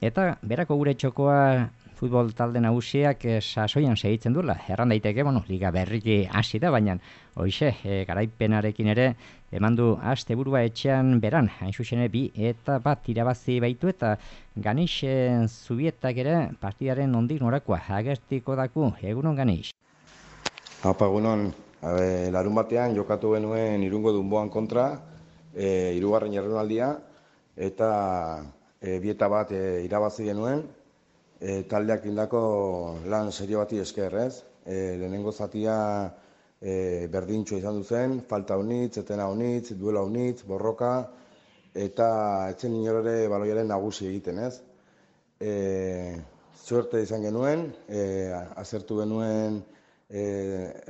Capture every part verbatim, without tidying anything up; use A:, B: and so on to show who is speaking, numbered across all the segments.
A: Eta berako gure txokoa futbol talde nagusiak eh, sasoian segitzen duela. Erran daiteke, bueno, liga berriki hasi da, baina hoixe, eh, garaipenarekin ere eman du asteburua etxean beran, hain zuzen ere bi eta bat irabazi baitu eta Ganix eh, Zubietak ere partidaren nondik norakoa agertiko daku. Egunon Ganix.
B: Apa, egunon, e, larun batean jokatu genuen Irungo Dunboan kontra, e, hirugarren jardunaldia, eta e, bi eta bat e, irabazi genuen, e, taldeak indako lan serio bati esker, ez? E, lehenengo zatia e, berdintxo izan duzen, falta honitz, etena honitz, duela honitz, borroka, eta etzen inorere baloiaren nagusi egiten, ez? E, suerte izan genuen, e, azertu genuen E,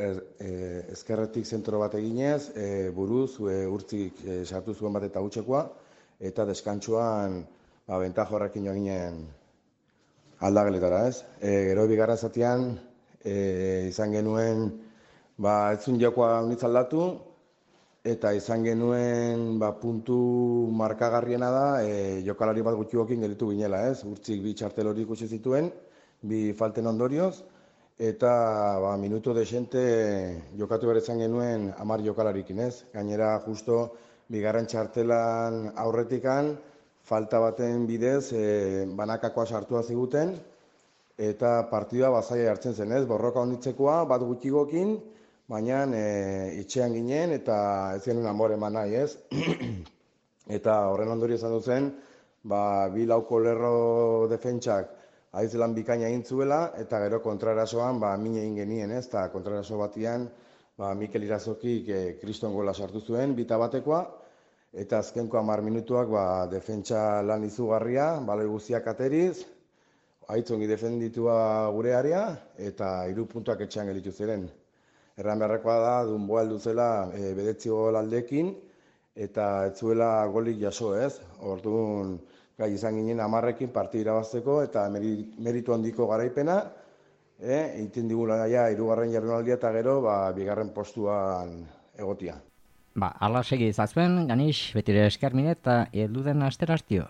B: er, e, ezkerretik zentro bat eginez, e, buruz, e, urtzik e, sartu zuen bat eta gutxekoa, eta deskantsuan ba, bentajo horrekin joan ginen aldageletara, ez? E, gero bigarren zatean e, izan genuen, ba, etzun jokoa unitz aldatu, eta izan genuen ba, puntu markagarriena da, e, jokalari bat gutxiokin gelitu ginela, ez? Urtzik bi txartel hori ikusi zituen, bi falten ondorioz, eta ba, minutu desente jokatu behar izan genuen hamar jokalarikin, ez? Gainera, justo, bigarren txartelan aurretikan, falta baten bidez, e, banakakoa sartua ziguten, eta partida bazaia hartzen zen, ez? Borroka honitzekoa, bat gutxigokin, baina e, itxean ginen, eta ez genuen amore eman nahi, ez? Eta horren ondorio izan duzen, ba, bi lauko lerro defentsak haizelan bikaina egin zuela, eta gero kontrarasoan ba, min egin genien, ez? Eta kontraraso batian, ba, Mikel Irazokik e, kriston gola sartu zuen, bita batekoa, eta azkenko hamar minutuak ba, defentsa lan izugarria, baloi guztiak ateriz, aitzongi defenditua gure area, eta hiru puntuak etxean gelitu ziren. Erran beharrekoa da, Dunboa heldu zela e, bedetzi gol aldekin, eta ez zuela golik jaso, ez? Orduan, gai izan ginen hamarrekin partida irabazteko eta meritu handiko garaipena, e, egiten digula ja hirugarren jardunaldia eta gero ba, bigarren postuan egotia.
A: Ba, ala segi izazuen, Ganix, betire esker mine eta elduden astera hastio.